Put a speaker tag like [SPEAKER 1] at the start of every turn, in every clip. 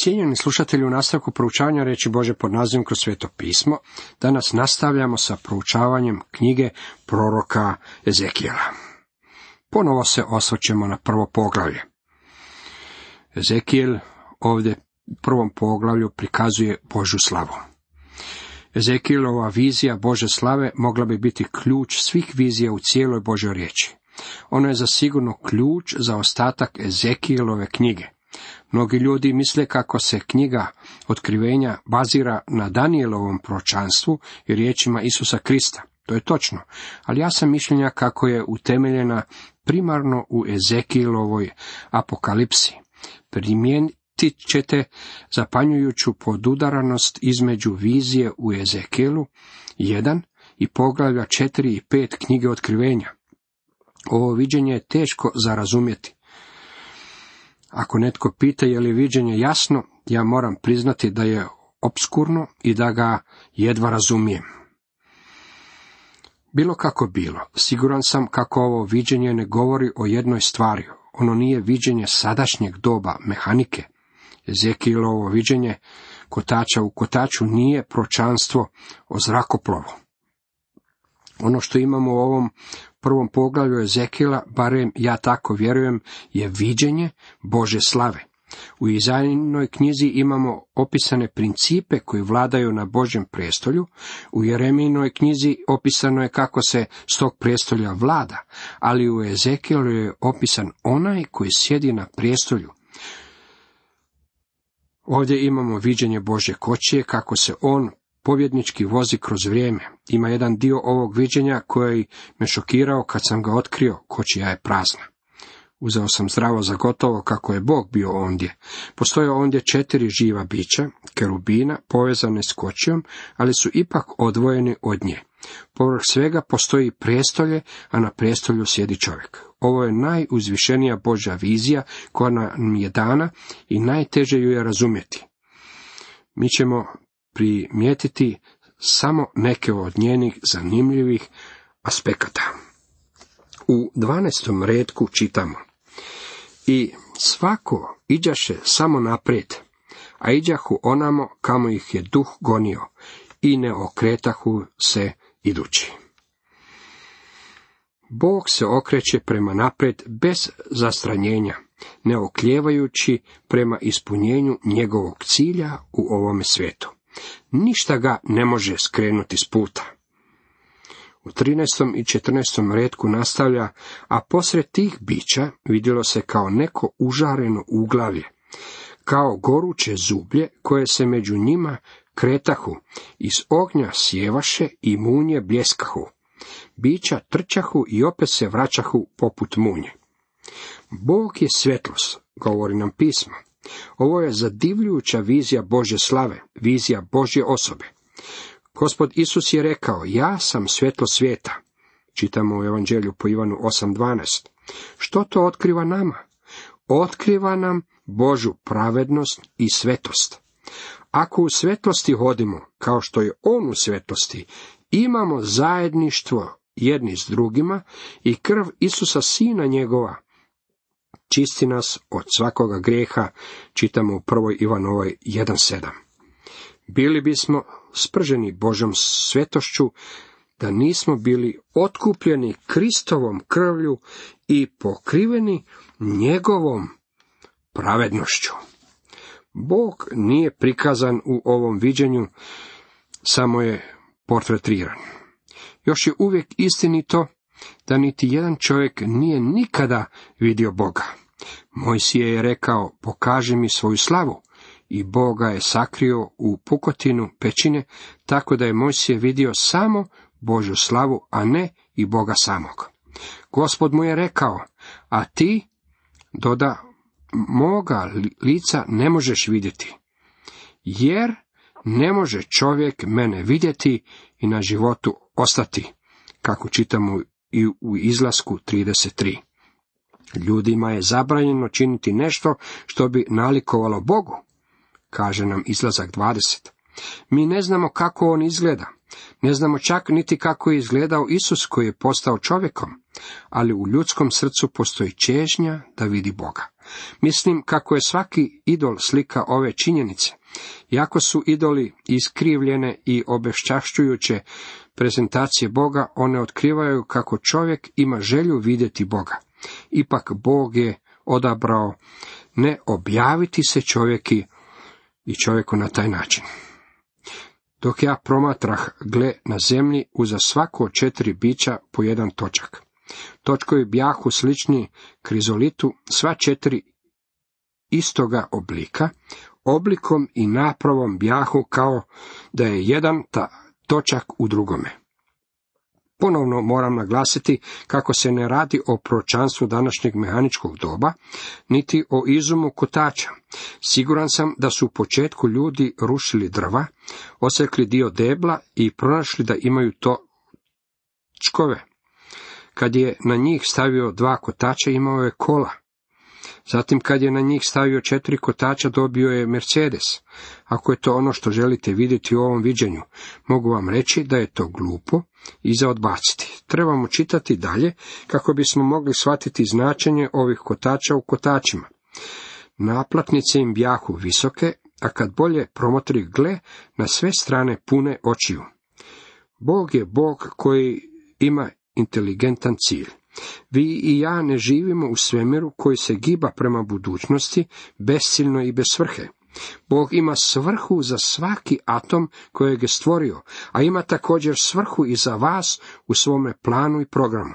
[SPEAKER 1] Cijenjeni slušatelji, u nastavku proučavanja riječi Božje pod nazivom Kroz sveto pismo, danas nastavljamo sa proučavanjem knjige proroka Ezekijela. Ponovo se osvrćemo na prvo poglavlje. Ezekijel ovdje u prvom poglavlju prikazuje Božju slavu. Ezekijelova vizija Božje slave mogla bi biti ključ svih vizija u cijeloj Božjoj riječi. Ono je zasigurno ključ za ostatak Ezekijelove knjige. Mnogi ljudi misle kako se knjiga Otkrivenja bazira na Danijelovom proročanstvu i riječima Isusa Krista. To je točno, ali ja sam mišljenja kako je utemeljena primarno u Ezekijelovoj apokalipsi. Primijetit ćete zapanjujuću podudaranost između vizije u Ezekijelu 1 i poglavlja 4 i 5 knjige Otkrivenja. Ovo viđenje je teško za razumjeti. Ako netko pita je li viđenje jasno, ja moram priznati da je opskurno i da ga jedva razumijem. Bilo kako bilo, siguran sam kako ovo viđenje ne govori o jednoj stvari. Ono nije viđenje sadašnjeg doba mehanike. Ezekielovo viđenje kotača u kotaču nije proročanstvo o zrakoplovu. Ono što imamo u ovom prvom poglavlju Ezekijela, barem ja tako vjerujem, je viđenje Božje slave. U Izajinoj knjizi imamo opisane principe koji vladaju na Božjem prijestolju, u Jeremijinoj knjizi opisano je kako se s tog prijestolja vlada, ali u Ezekijelu je opisan onaj koji sjedi na prijestolju. Ovdje imamo viđenje Božje kočije, kako se on pobjednički vozi kroz vrijeme. Ima jedan dio ovog viđenja koji me šokirao kad sam ga otkrio, kočija je prazna. Uzeo sam zdravo za gotovo kako je Bog bio ondje. Postoje ondje 4 živa bića, kerubina, povezane s kočijom, ali su ipak odvojeni od nje. Povrh svega postoji prijestolje, a na prijestolju sjedi čovjek. Ovo je najuzvišenija Božja vizija koja nam je dana i najteže ju je razumjeti. Mi ćemo primijetiti samo neke od njenih zanimljivih aspekata. U 12. retku čitamo: I svako iđaše samo naprijed, a iđahu onamo kamo ih je duh gonio, i ne okretahu se idući. Bog se okreće prema naprijed bez zastranjenja, ne oklijevajući prema ispunjenju njegovog cilja u ovome svijetu. Ništa ga ne može skrenuti s puta. U 13. i 14. retku nastavlja: a posred tih bića vidjelo se kao neko užareno uglavlje, kao goruće zublje koje se među njima kretahu, iz ognja sjevaše i munje bljeskahu. Bića trčahu i opet se vraćahu poput munje. Bog je svjetlost, govori nam pismo. Ovo je zadivljujuća vizija Božje slave, vizija Božje osobe. Gospod Isus je rekao: ja sam svjetlo svijeta. Čitamo u Evanđelju po Ivanu 8.12. Što to otkriva nama? Otkriva nam Božju pravednost i svetost. Ako u svjetlosti hodimo, kao što je on u svjetlosti, imamo zajedništvo jedni s drugima i krv Isusa Sina njegova čisti nas od svakoga grijeha, čitamo u 1. Ivanovoj 1.7. Bili bismo sprženi Božjom svetošću da nismo bili otkupljeni Kristovom krvlju i pokriveni njegovom pravednošću. Bog nije prikazan u ovom viđenju, samo je portretiran. Još je uvijek istinito da niti jedan čovjek nije nikada vidio Boga. Mojsije je rekao: pokaži mi svoju slavu, i Boga je sakrio u pukotinu pećine, tako da je Mojsije vidio samo Božju slavu, a ne i Boga samog. Gospod mu je rekao: a ti, doda, moga lica ne možeš vidjeti, jer ne može čovjek mene vidjeti i na životu ostati, kako čitamo i u Izlasku 33. Ljudima je zabranjeno činiti nešto što bi nalikovalo Bogu, kaže nam Izlazak 20. Mi ne znamo kako on izgleda, ne znamo čak niti kako je izgledao Isus koji je postao čovjekom, ali u ljudskom srcu postoji čežnja da vidi Boga. Mislim kako je svaki idol slika ove činjenice. Iako su idoli iskrivljene i obeščašćujuće prezentacije Boga, one otkrivaju kako čovjek ima želju vidjeti Boga. Ipak Bog je odabrao ne objaviti se čovjeku na taj način. Dok ja promatrah, gle, na zemlji uza svako 4 bića po jedan točak. Točkovi bjahu slični krizolitu, sva 4 istoga oblika, oblikom i napravom bjahu kao da je jedan točak u drugome. Ponovno moram naglasiti kako se ne radi o proročanstvu današnjeg mehaničkog doba, niti o izumu kotača. Siguran sam da su u početku ljudi rušili drva, osekli dio debla i pronašli da imaju točkove. Kad je na njih stavio 2 kotača, imao je kola. Zatim kad je na njih stavio 4 kotača, dobio je Mercedes. Ako je to ono što želite vidjeti u ovom viđenju, mogu vam reći da je to glupo i za odbaciti. Trebamo čitati dalje kako bismo mogli shvatiti značenje ovih kotača u kotačima. Naplatnice im bjahu visoke, a kad bolje promotri, gle, na sve strane pune očiju. Bog je Bog koji ima inteligentan cilj. Vi i ja ne živimo u svemiru koji se giba prema budućnosti, besciljno i bez svrhe. Bog ima svrhu za svaki atom kojeg je stvorio, a ima također svrhu i za vas u svome planu i programu.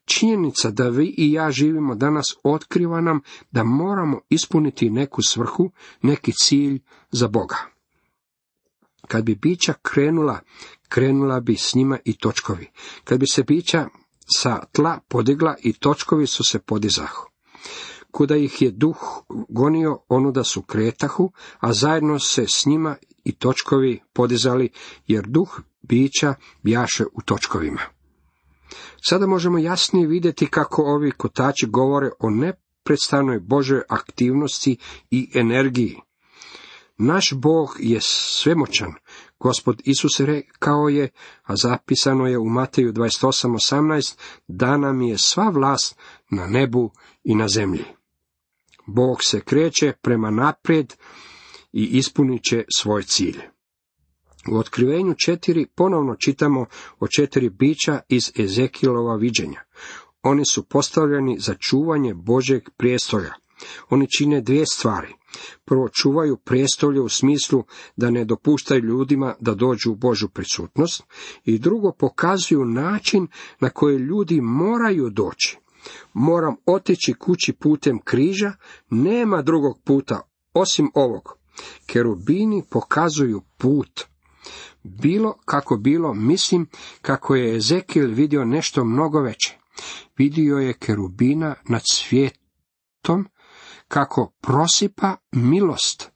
[SPEAKER 1] Činjenica da vi i ja živimo danas otkriva nam da moramo ispuniti neku svrhu, neki cilj za Boga. Kad bi bića krenula bi s njima i točkovi. Kad bi se bića sa tla podigla i točkovi su se podizahu. Kuda ih je duh gonio, onuda su kretahu, a zajedno se s njima i točkovi podizali, jer duh bića bjaše u točkovima. Sada možemo jasnije vidjeti kako ovi kotači govore o neprestanoj Božoj aktivnosti i energiji. Naš Bog je svemoćan. Gospod Isus rekao je, a zapisano je u Mateju 28:18, dana mi je sva vlast na nebu i na zemlji. Bog se kreće prema naprijed i ispunit će svoj cilj. U Otkrivenju 4 ponovno čitamo o 4 bića iz Ezekilova viđenja. Oni su postavljeni za čuvanje Božjeg prijestolja. Oni čine 2 stvari. Prvo, čuvaju prijestolje u smislu da ne dopuštaju ljudima da dođu u Božju prisutnost, i drugo, pokazuju način na koji ljudi moraju doći. Moram otići kući putem križa, nema drugog puta osim ovog. Kerubini pokazuju put. Bilo kako bilo, mislim kako je Ezekil vidio nešto mnogo veće. Vidio je kerubina nad svijetom, kako prosipa milost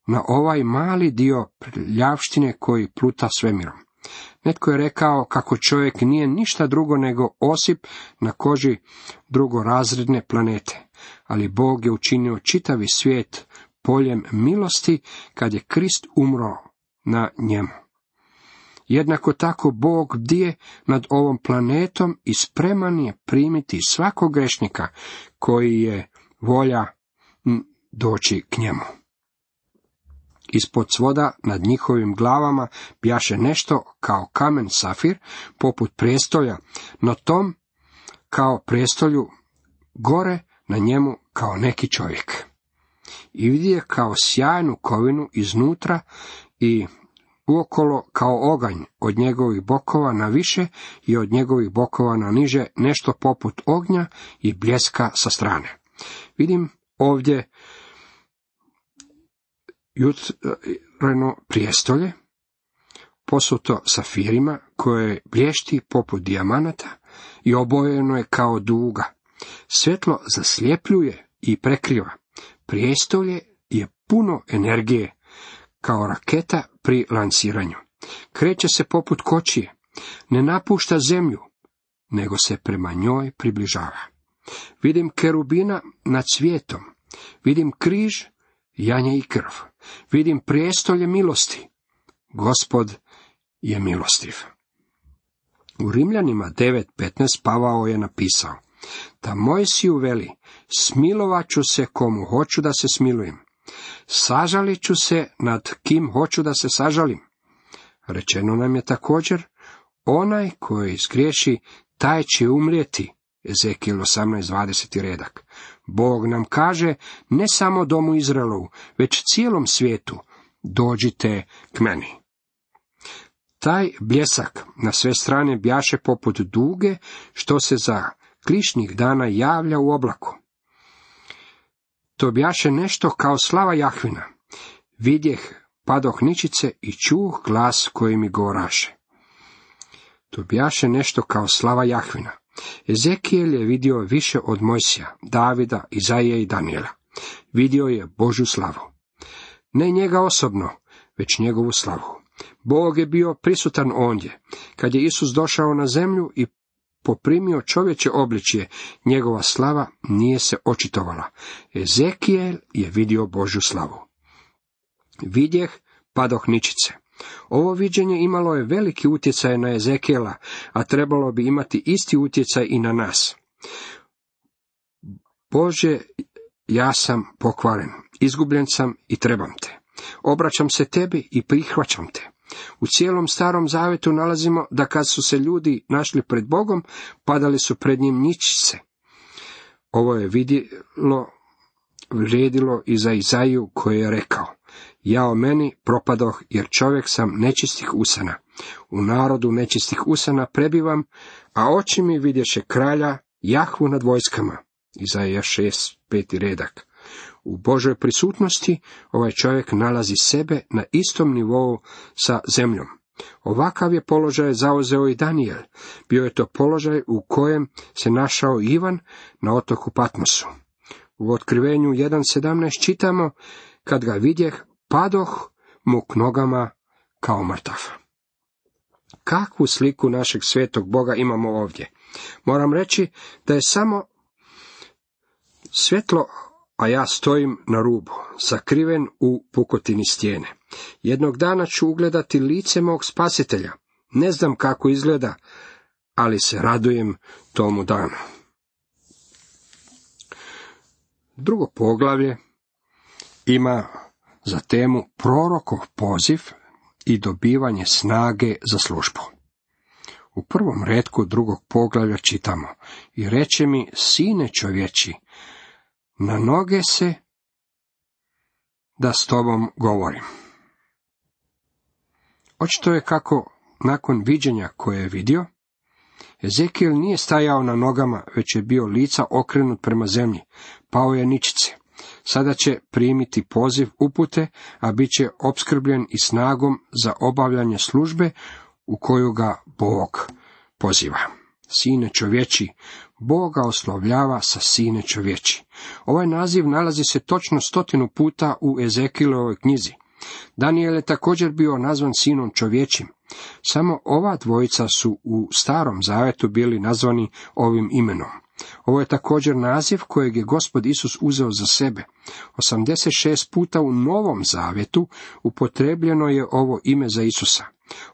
[SPEAKER 1] na ovaj mali dio prljavštine koji pluta svemirom. Netko je rekao kako čovjek nije ništa drugo nego osip na koži drugorazredne planete, ali Bog je učinio čitavi svijet poljem milosti kad je Krist umro na njemu. Jednako tako Bog bdije nad ovom planetom i spreman je primiti svakog grešnika koji je volja doći k njemu. Ispod svoda nad njihovim glavama bjaše nešto kao kamen safir, poput prijestolja, na tom kao prijestolju, gore na njemu kao neki čovjek. I vidje kao sjajnu kovinu iznutra i uokolo kao oganj, od njegovih bokova na više i od njegovih bokova na niže, nešto poput ognja i bljeska sa strane. Vidim ovdje jutreno prijestolje, posuto safirima, koje blješti poput dijamanata i obojeno je kao duga. Svjetlo zasljepljuje i prekriva. Prijestolje je puno energije, kao raketa pri lansiranju. Kreće se poput kočije, ne napušta zemlju, nego se prema njoj približava. Vidim kerubina nad svijetom, vidim križ, janje i krv, vidim prijestolje milosti. Gospod je milostiv. U Rimljanima 9:15 Pavao je napisao: da Mojsiju veli, smilovat ću se komu hoću da se smilujem, sažalit ću se nad kim hoću da se sažalim. Rečeno nam je također, onaj koji zgriješi, taj će umrijeti. Ezekijel 18:20 redak. Bog nam kaže, ne samo domu Izraelovu, već cijelom svijetu, dođite k meni. Taj bljesak na sve strane bjaše poput duge, što se za klišnih dana javlja u oblaku. To bjaše nešto kao slava Jahvina. Vidjeh, padoh ničice i čuh glas koji mi govoraše. To bjaše nešto kao slava Jahvina. Ezekijel je vidio više od Mojsija, Davida, Izaije i Danijela. Vidio je Božju slavu. Ne njega osobno, već njegovu slavu. Bog je bio prisutan ondje. Kad je Isus došao na zemlju i poprimio čovječe obličje, njegova slava nije se očitovala. Ezekijel je vidio Božju slavu. Vidjeh, padoh ničice. Ovo viđenje imalo je veliki utjecaj na Ezekijela, a trebalo bi imati isti utjecaj i na nas. Bože, ja sam pokvaren, izgubljen sam i trebam te. Obraćam se tebi i prihvaćam te. U cijelom Starom Zavetu nalazimo da kad su se ljudi našli pred Bogom, padali su pred njim ničice. Ovo je vrijedilo i za Izaiju koji je rekao, jao meni propadoh, jer čovjek sam nečistih usana. U narodu nečistih usana prebivam, a oči mi vidješe kralja, Jahvu nad vojskama. Izaija 6:5 redak. U Božoj prisutnosti ovaj čovjek nalazi sebe na istom nivou sa zemljom. Ovakav je položaj zauzeo i Danijel. Bio je to položaj u kojem se našao Ivan na otoku Patmosu. U Otkrivenju 1:17 čitamo, kad ga vidjeh, padoh mu k nogama kao mrtav. Kakvu sliku našeg svetog Boga imamo ovdje? Moram reći da je samo svjetlo, a ja stojim na rubu, sakriven u pukotini stijene. Jednog dana ću ugledati lice mog spasitelja. Ne znam kako izgleda, ali se radujem tomu danu. Drugo poglavlje ima za temu prorokov poziv i dobivanje snage za službu. U prvom retku drugog poglavlja čitamo, i reče mi, sine čovječi, na noge se da s tobom govorim. Očito je kako nakon viđenja koje je vidio, Ezekijel nije stajao na nogama, već je bio lica okrenut prema zemlji, pao je ničice. Sada će primiti poziv upute, a bit će opskrbljen i snagom za obavljanje službe u koju ga Bog poziva. Sine čovječi, Bog ga oslovljava sa sine čovječi. Ovaj naziv nalazi se točno 100 puta u Ezekielovoj knjizi. Danijel je također bio nazvan sinom čovječim. Samo ova dvojica su u Starom Zavetu bili nazvani ovim imenom. Ovo je također naziv kojeg je Gospod Isus uzeo za sebe. 86 puta u Novom Zavetu upotrebljeno je ovo ime za Isusa.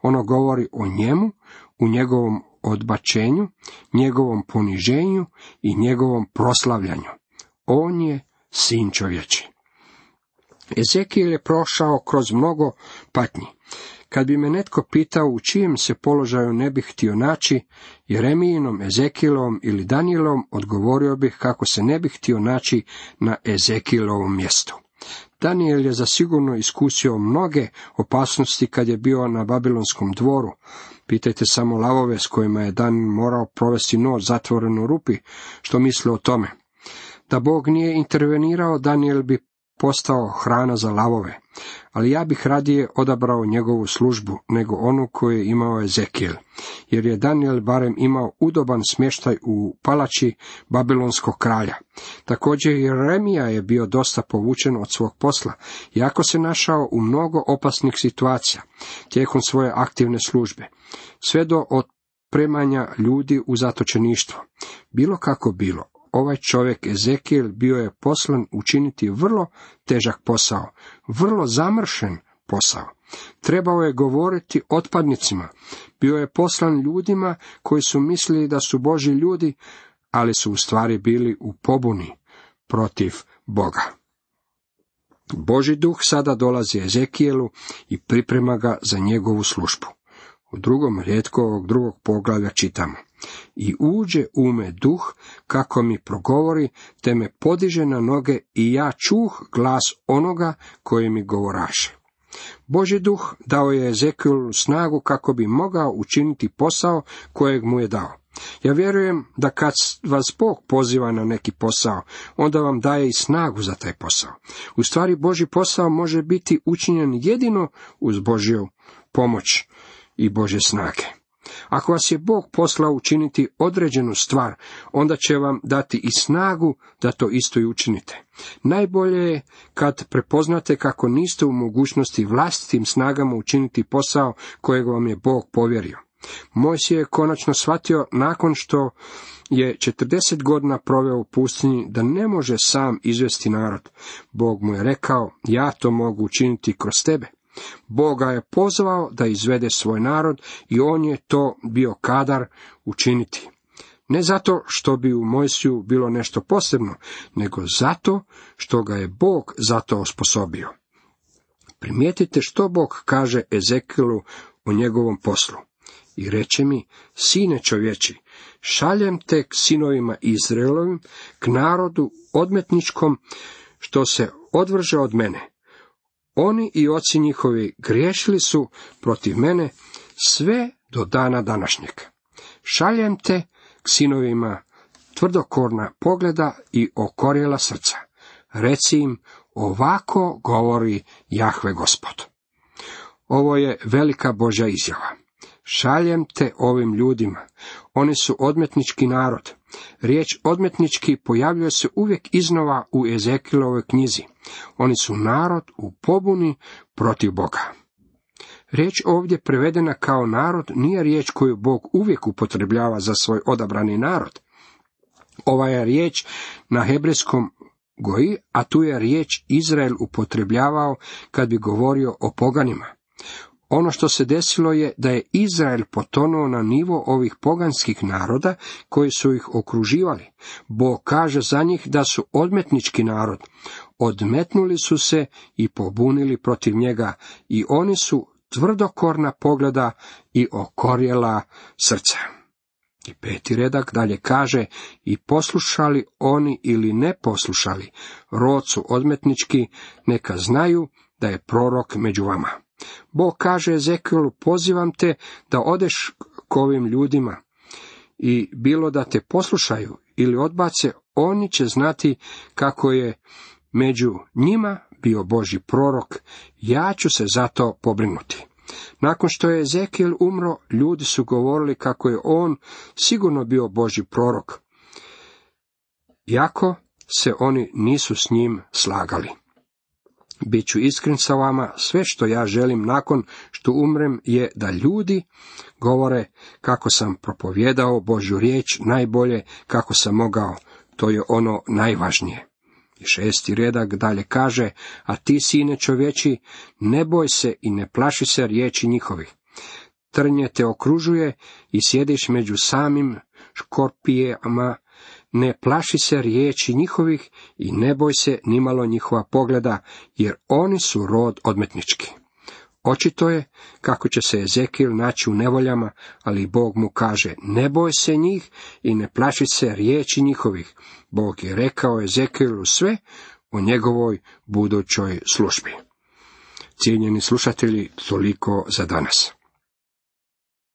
[SPEAKER 1] Ono govori o njemu, u njegovom odbačenju, njegovom poniženju i njegovom proslavljanju. On je sin čovječi. Ezekijel je prošao kroz mnogo patnji. Kad bi me netko pitao u čijem se položaju ne bih htio naći, Jeremijinom, Ezekijelovom ili Danijelovom, odgovorio bih kako se ne bih htio naći na Ezekielovom mjestu. Danijel je zasigurno iskusio mnoge opasnosti kad je bio na babilonskom dvoru. Pitajte samo lavove s kojima je Danijel morao provesti noć zatvoren u rupi, što misle o tome. Da Bog nije intervenirao, Danijel bi postao hrana za lavove, ali ja bih radije odabrao njegovu službu nego onu koju je imao Ezekijel, jer je Danijel barem imao udoban smještaj u palači babilonskog kralja. Također Jeremija je bio dosta povučen od svog posla, iako se našao u mnogo opasnih situacija tijekom svoje aktivne službe, sve do otpremanja ljudi u zatočeništvo. Bilo kako bilo, ovaj čovjek Ezekijel bio je poslan učiniti vrlo težak posao, vrlo zamršen posao. Trebao je govoriti otpadnicima, bio je poslan ljudima koji su mislili da su Božji ljudi, ali su u stvari bili u pobuni protiv Boga. Božji duh sada dolazi Ezekijelu i priprema ga za njegovu službu. U 2. rijetku ovog 2. poglavlja čitamo: I uđe u me duh, kako mi progovori, te me podiže na noge, i ja čuh glas onoga koji mi govoraše. Božji duh dao je Ezekijelu snagu kako bi mogao učiniti posao kojeg mu je dao. Ja vjerujem da kad vas Bog poziva na neki posao, onda vam daje i snagu za taj posao. U stvari, Božji posao može biti učinjen jedino uz Božju pomoć i Božje snage. Ako vas je Bog poslao učiniti određenu stvar, onda će vam dati i snagu da to isto i učinite. Najbolje je kad prepoznate kako niste u mogućnosti vlastitim snagama učiniti posao kojeg vam je Bog povjerio. Mojsije je konačno shvatio nakon što je 40 godina proveo u pustinji da ne može sam izvesti narod. Bog mu je rekao: ja to mogu učiniti kroz tebe. Bog ga je pozvao da izvede svoj narod i on je to bio kadar učiniti. Ne zato što bi u Mojsiju bilo nešto posebno, nego zato što ga je Bog za to osposobio. Primijetite što Bog kaže Ezekijelu o njegovom poslu. I reče mi: sine čovječi, šaljem te k sinovima Izraelovim, k narodu odmetničkom, što se odvrže od mene. Oni i oci njihovi griješili su protiv mene sve do dana današnjeg. Šaljem te k sinovima tvrdokorna pogleda i okorjela srca. Reci im: ovako govori Jahve Gospod. Ovo je velika Božja izjava. Šaljem te ovim ljudima. Oni su odmetnički narod. Riječ odmetnički pojavljuje se uvijek iznova u Ezekijelovoj knjizi. Oni su narod u pobuni protiv Boga. Riječ ovdje prevedena kao narod nije riječ koju Bog uvijek upotrebljava za svoj odabrani narod. Ova je riječ na hebrejskom goji, a tu je riječ Izrael upotrebljavao kad bi govorio o poganima. Ono što se desilo je da je Izrael potonuo na nivo ovih poganskih naroda koji su ih okruživali. Bog kaže za njih da su odmetnički narod. Odmetnuli su se i pobunili protiv njega i oni su tvrdokorna pogleda i okorjela srca. I 5. redak dalje kaže: i poslušali oni ili ne poslušali, rod su odmetnički, neka znaju da je prorok među vama. Bog kaže Ezekijelu: pozivam te da odeš k ovim ljudima, i bilo da te poslušaju ili odbace, oni će znati kako je među njima bio Božji prorok. Ja ću se za to pobrinuti. Nakon što je Ezekijel umro, ljudi su govorili kako je on sigurno bio Božji prorok, iako se oni nisu s njim slagali. Biću iskren sa vama, sve što ja želim nakon što umrem je da ljudi govore kako sam propovjedao Božju riječ najbolje kako sam mogao. To je ono najvažnije. I 6. redak dalje kaže: a ti, sine čovječi, ne boj se i ne plaši se riječi njihovih. Trnje te okružuje i sjediš među samim škorpijama. Ne plaši se riječi njihovih i ne boj se nimalo njihova pogleda, jer oni su rod odmetnički. Očito je kako će se Ezekijel naći u nevoljama, ali Bog mu kaže: ne boj se njih i ne plaši se riječi njihovih. Bog je rekao Ezekijelu sve o njegovoj budućoj službi. Cijenjeni slušatelji, toliko za danas.